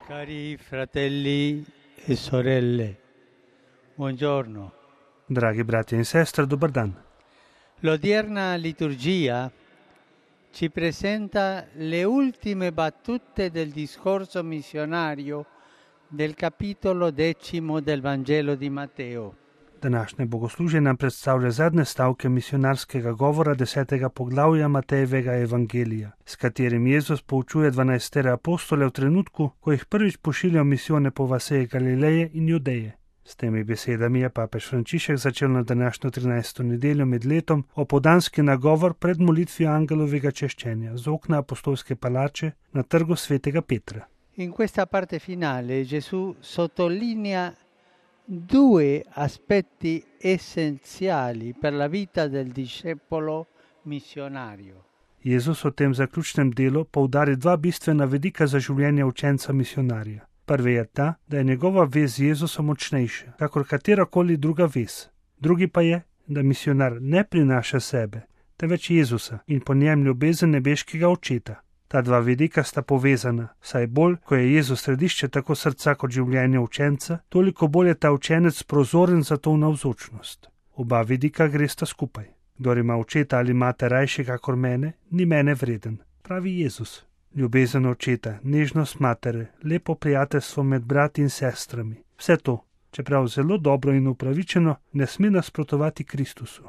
Cari fratelli e sorelle, buongiorno. Dragi bratje in sestre, dober dan. L'odierna liturgia ci presenta le ultime battute del discorso missionario del capitolo 10 del Vangelo di Matteo. Današnje bogoslužje nam predstavlja zadnje stavke misionarskega govora 10. poglavja Matejevega evangelija, s katerim Jezus poučuje 12 apostole v trenutku, ko jih prvič pošilja v misijone po vaseh Galileje in Judeje. S temi besedami je papež Frančišek začel na današnjo 13. nedeljo med letom opoldanski nagovor pred molitvijo angelovega češčenja z okna apostolske palače na trgu svetega Petra. In questa parte finale Gesù sottolinea due aspetti essenziali per la vita del discepolo missionario. Jezus v tem zaključnem delu poudari dva bistvena vidika za življenje učenca misionarja. Prvi je ta, da je njegova vez z Jezusom močnejša, kakor katerakoli druga vez. Drugi pa je, da misionar ne prinaša sebe, temveč Jezusa in po njem ljubezen nebeškega očeta. Ta dva vidika sta povezana, saj bolj, ko je Jezus središče tako srca kot življenja učenca, toliko bolj je ta učenec prozoren za to navzočnost. Oba vidika gresta skupaj. Kdor ima očeta ali mate rajše kakor mene, ni mene vreden, pravi Jezus. Ljubezen očeta, nežnost matere, lepo prijateljstvo med brati in sestrami. Vse to, čeprav zelo dobro in upravičeno, ne sme nasprotovati Kristusu.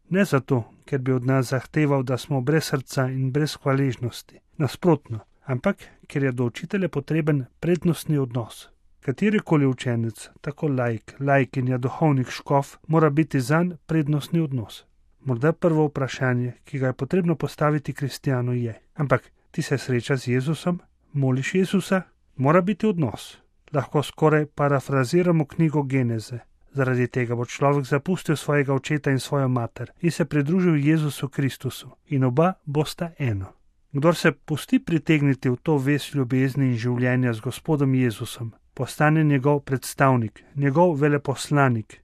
Ne zato, ker bi od nas zahteval, da smo brez srca in brez hvaležnosti. Nasprotno, ampak ker je do učitelja potreben prednostni odnos. Katerikoli učenec, tako laikinja, duhovnik, škof, mora biti zanj prednostni odnos. Morda prvo vprašanje, ki ga je potrebno postaviti kristjanu je: ampak ti se srečaš z Jezusom? Moliš Jezusa? Mora biti odnos. Lahko skoraj parafraziramo knjigo Geneze. Zaradi tega bo človek zapustil svojega očeta in svojo mater in se pridružil Jezusu Kristusu in oba bosta eno. Kdor se pusti pritegniti v to vez ljubezni in življenja z Gospodom Jezusom, postane njegov predstavnik, njegov veleposlanik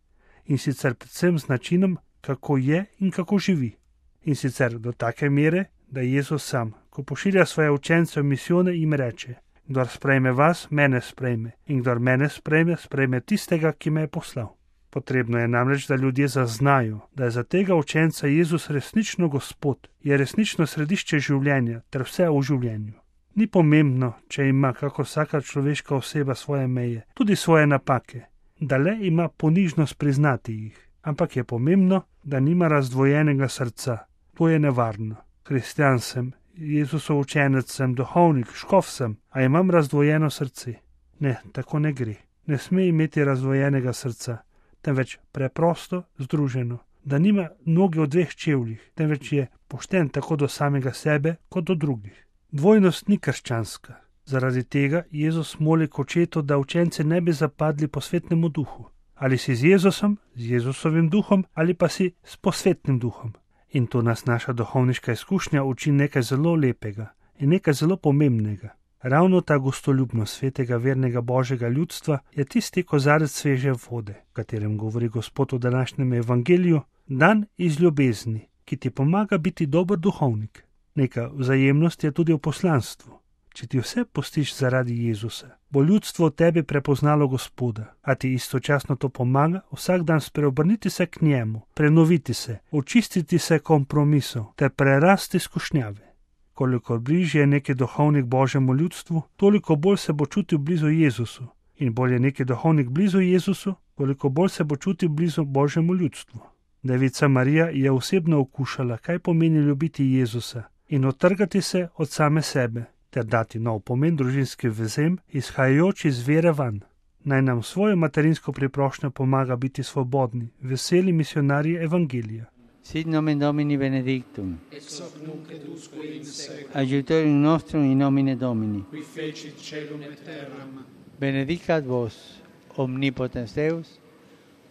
in sicer predvsem z načinom, kako je in kako živi. In sicer do take mere, da Jezus sam, ko pošilja svoje učence v misijone, jim reče: kdor sprejme vas, mene sprejme, in kdor mene sprejme, sprejme tistega, ki me je poslal. Potrebno je namreč, da ljudje zaznajo, da je za tega učenca Jezus resnično Gospod, je resnično središče življenja ter vse v življenju. Ni pomembno, če ima kako vsaka človeška oseba svoje meje, tudi svoje napake, da le ima ponižnost priznati jih, ampak je pomembno, da nima razdvojenega srca. To je nevarno. Kristjan sem, Jezusov učenec sem, duhovnik, škof sem, a imam razdvojeno srce. Ne, tako ne gre. Ne sme imeti razdvojenega srca, temveč preprosto združeno, da nima noge v dveh čevljih, temveč je pošten tako do samega sebe kot do drugih. Dvojnost ni krščanska. Zaradi tega Jezus moli k očetu, da učence ne bi zapadli po svetnemu duhu. Ali si z Jezusom, z Jezusovim duhom, ali pa si s posvetnim duhom. In to nas naša duhovniška izkušnja uči nekaj zelo lepega in nekaj zelo pomembnega. Ravno ta gostoljubnost svetega vernega Božjega ljudstva je tisti kozarec sveže vode, o katerem govori Gospod v današnjem evangeliju, dan iz ljubezni, ki ti pomaga biti dober duhovnik. Neka vzajemnost je tudi v poslanstvu. Če ti vse pustiš zaradi Jezusa, bo ljudstvo v tebi prepoznalo Gospoda, a ti istočasno to pomaga vsak dan spreobrniti se k njemu, prenoviti se, očistiti se kompromisov ter prerasti skušnjave. Kolikor bližje je neki duhovnik Božjemu ljudstvu, toliko bolj se bo čutil blizu Jezusu. In bolj je neki duhovnik blizu Jezusu, koliko bolj se bo čutil blizu Božjemu ljudstvu. Devica Marija je osebno okušala, kaj pomeni ljubiti Jezusa in odtrgati se od same sebe, ter dati nov pomen družinskim vezem, izhajajoč iz vere van. Naj nam svojo materinsko priprošnjo pomaga biti svobodni, veseli misionarji evangelija. Sit nomen Domini benedictum, ex hoc nunc et usque in seculum, aiutorium nostrum in nomine Domini. qui fecit caelum et terram, Benedicat vos, omnipotens Deus,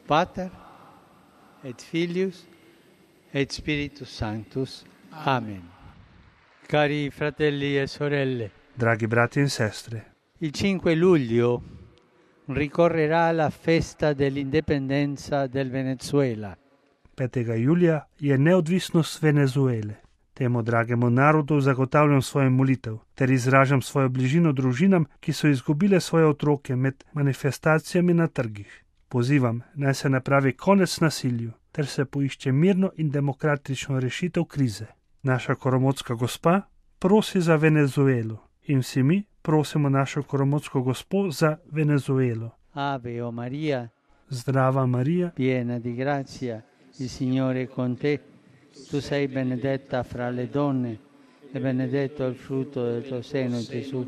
Pater, et Filius, et Spiritus Sanctus. Amen. Cari fratelli e sorelle, Dragi brati in sestre, il 5 luglio ricorrerà la festa dell'indipendenza del Venezuela. 5. julija je neodvisnost Venezuele. Temu dragemu narodu zagotavljam svojo molitev, ter izražam svojo bližino družinam, ki so izgubile svoje otroke med manifestacijami na trgih. Pozivam, naj se napravi konec nasilju, ter se poišče mirno in demokratično rešitev krize. Naša koromotska gospa prosi za Venezuelo in vsi mi prosimo našo koromotsko gospo za Venezuelo. Ave o Maria, Zdrava Marija, piena di grazia, il Signore è con te. Tu sei benedetta fra le donne e benedetto il frutto del tuo seno, Gesù.